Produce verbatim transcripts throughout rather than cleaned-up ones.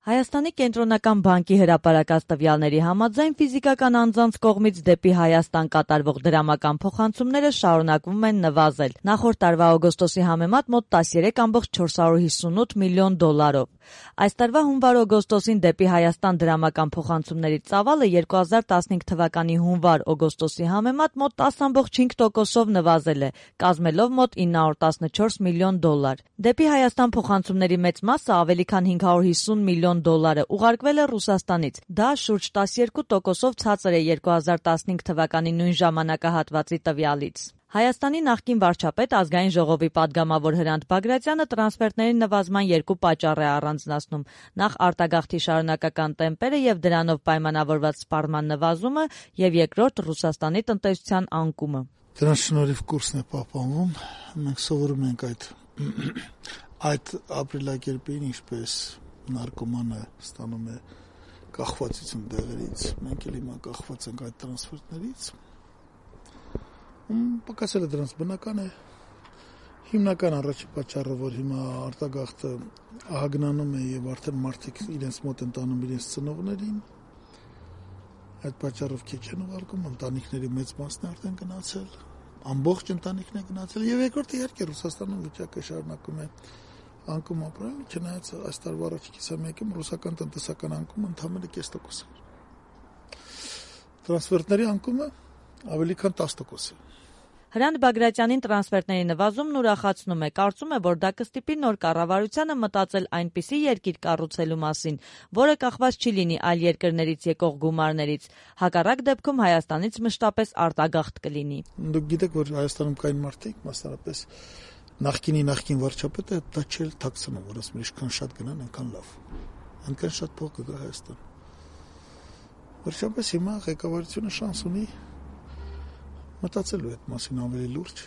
Հայաստանի կենտրոնական բանկի հրապարակած տվյալների համաձայն ֆիզիկական անձանց կողմից դեպի Հայաստան կատարվող դրամական փոխանցումները շարունակվում են նվազել, նախորդ տարվա օգոստոսի համեմատ մոտ տասներեք կόμma չորսունութ միլիոն դոլարով։ Այս տարվա հունվար-օգոստոսին դեպի Հայաստան դրամական փոխանցումների ծավալը երկու հազար տասնհինգ թվականի հունվար-օգոստոսի համեմատ մոտ տասը կόμma չինգ տոկոսով նվազել է, կազմելով մոտ ինը հարյուր տասնչորս միլիոն դոլար։ Դեպի Հայաստան փոխանցումների մեծ մասը ավելի քան հինգ հարյուր հիսուն միլիոն դոլարը ուղարկվել է Ռուսաստանից։ Դա շուրջ տասներկու տոկոսով ցածր է երկու հազար տասնհինգ թվականի նույն ժամանակահատվածի տվյալից։ Հայաստանի նախկին վարչապետ, ազգային ժողովի պատգամավոր Հրանտ Բագրատյանը տրանսֆերտների նվազման երկու պատճառ է առանձնացնում՝ նախ արտագաղթի շարունակական տեմպերը եւ դրանով պայմանավորված սպառման նվազումը, եւ երկրորդ Ռուսաստանի տնտեսության անկումը։ Դրանց շնորհիվ կուրսն է պահպանվում։ Մենք սովորում ենք այդ այդ ապրիլակերպին, ինչպես նարկոմանը ստանում է կախվածություն դեղերից, մենք էլ հիմա կախված ենք այդ տրանսֆերտներից։ Պակասել է դրանց բնական է։ Հիմնական առաջին պատճառը, որ հիմա արտագաղթը ահագնանում է եւ արդեն մարդիկ իրենց մոտ են տանում իրենց ծնողներին, այդ պատճառով քիչ են ուղարկում, ընտանիքների մեծ մասն է արդեն գնացել, ամբողջ ընտանիքն է գնացել, եւ երկրորդը իհարկե Ռուսաստանում վիճակը շարունակում է անկում ապրել, չնայած այս տարվա առաջին կիսամյակում ռուսական տնտեսական անկումը ընդամենը կես տոկոս է։ Տրանսֆերտների անկումը ավելի քան տասը տոկոս է։ Հրանտ Բագրատյանին տրանսֆերտների նվազումն ուրախացնում է, կարծում է, որ դա կստիպի նոր կառավարությանը մտածել այնպիսի երկիր կառուցելու մասին, որը կախված չի լինի այլ երկրներից եկող գումարներից, հակառակ դեպքում Հայաստանից մշտապես արտագաղթ կլինի։ Դուք գիտեք, որ Հայաստանում կային մարդիկ, մասնավորապես նախկինի նախկին վարչապետը դա չէր թաքցնում, որ ասում ինչքան շատ գնան, այնքան լավ, այնքան շատ փող կգա Հայաստան։ Վերջապես հիմա ղեկավարությունը շանս ունի մտածելու այդ մասին ավելի լուրջ։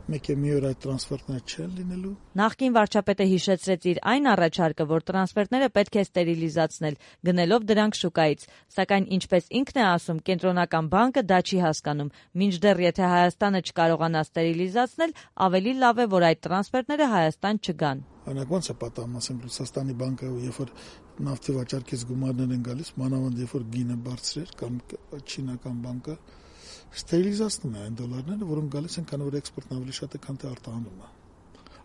Մեկ է մի օր այդ տրանսֆերտները չեն լինելու։ Նախկին վարչապետը հիշեցրեց իր այն առաջարկը, որ տրանսֆերտները պետք է ստերիլիզացնել, գնելով դրանք շուկայից, սակայն ինչպես ինքն է ասում, կենտրոնական բանկը դա չի հասկանում, մինչդեռ եթե Հայաստանը չկարողանա ստերիլիզացնել, ավելի լավ է, որ այդ տրանսֆերտները Հայաստան չգան։ Օրինակ ոնց է պատահում, ասենք Ռուսաստանի բանկը, երբ որ նավթի վաճառքից գումարներ են գալիս, մանավանդ երբ որ գինը բարձր էր, կամ չինական բանկը ստերիլիզացնում է այն դոլարները, որոնք գալիս են, քանի որ էքսպորտն ավելի շատ է, քան թե արտահանումը։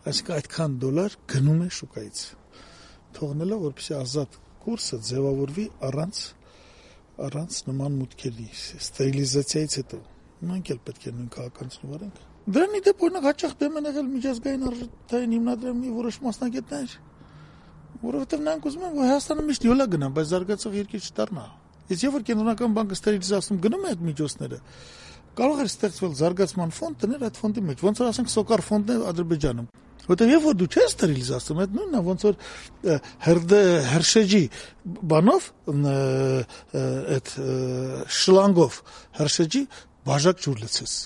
Այսինքն այդքան դոլար գնում է շուկայից, թողնելով, որպեսզի ազատ կուրսը ձևավորվի առանց առանց նման մուտքերի, ստերիլիզացիայից հետո։ Մենք էլ պետք է նույն քաղաքականություն վարենք։ Դրանի դեպ օրինակ հաճախ դեմ են եղել միջազգային արժութային հիմնադրամի որոշ մասնագետներ, որովհետև նրանք ուզում են, որ Հայաստանը միշտ յոլա գնա, բայց զարգացող երկիր չդառնա։ Իսկ երբ որ կենտրոնական բանկը ստերիլիզացնում գնում է այդ միջոցները, կարող է ստեղծվել զարգացման ֆոնդ դնել այդ ֆոնդի մեջ, ոնց որ ասենք Սոկար ֆոնդն է Ադրբեջանում։ Որտեղ երբ որ դու չես ստերիլիզացնում, այդ նույնն է, ոնց որ հրդե հրշեջի բանով այդ շլանգով հրշեջի բաժակ ջուր լցես։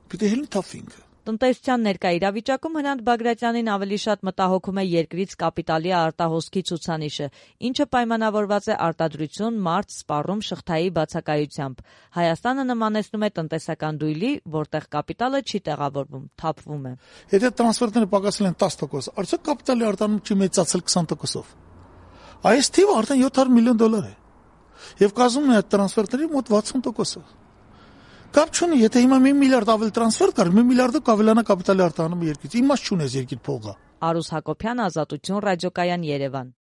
Պիտի հելն թափվինք։ Տնտեսության ներկա իրավիճակում Հրանտ Բագրատյանին ավելի շատ մտահոգում է երկրից կապիտալի արտահոսքի ցուցանիշը, ինչը պայմանավորված է արտադրություն, մարդ, սպառում, շղթայի բացակայությամբ։ Հայաստանը նմանեցնում է տնտեսական դույլի, որտեղ կապիտալը չի տեղավորվում, թափվում է։ Եթե տրանսֆերտները պակասել են տասը տոկոս, արդյոք կապիտալի արտահանում չի մեծացել քսան տոկոսով։ Այս թիվը արդեն յոթ հարյուր միլիոն դոլար է։ Եվ կազմում է այդ տրանսֆերտների մոտ վաթսուն տոկոսը։ Կապ չունի, եթե հիմա մի միլիարդ ավել տրանսֆեր կար, մի միլիարդը կավելանա կապիտալի արտահանումը երկրից։ Իմաստ չունես երկիր փողը։ Արուս Հակոբյան, Ազատություն, Ռադիոկայան, Երևան։